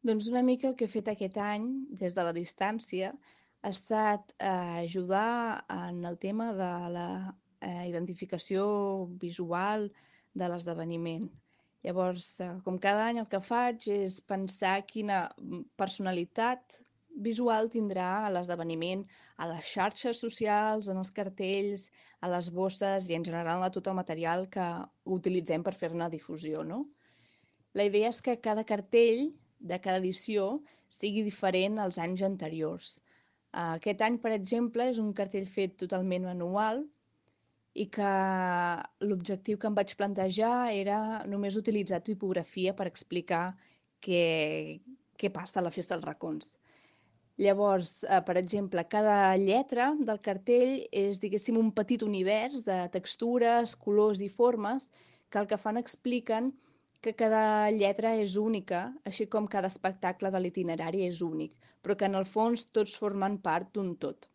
Doncs una mica el que he fet aquest any, des de la distància, ha estat ajudar en el tema de la identificació visual de l'esdeveniment. Llavors, com cada any el que faig és pensar quina personalitat visual tindrà l'esdeveniment a les xarxes socials, en els cartells, a les bosses i en general a tot el material que utilitzem per fer-ne difusió, no? La idea és que cada cartell de cada edició sigui diferent als anys anteriors. Aquest any, per exemple, és un cartell fet totalment manual i que l'objectiu que em vaig plantejar era només utilitzar tipografia per explicar què, què passa a la Festa dels Racons. Llavors, per exemple, cada lletra del cartell és, diguéssim, un petit univers de textures, colors i formes que el que fan expliquen que cada lletra és única, així com cada espectacle de l'itinerari és únic, però que en el fons tots formen part d'un tot.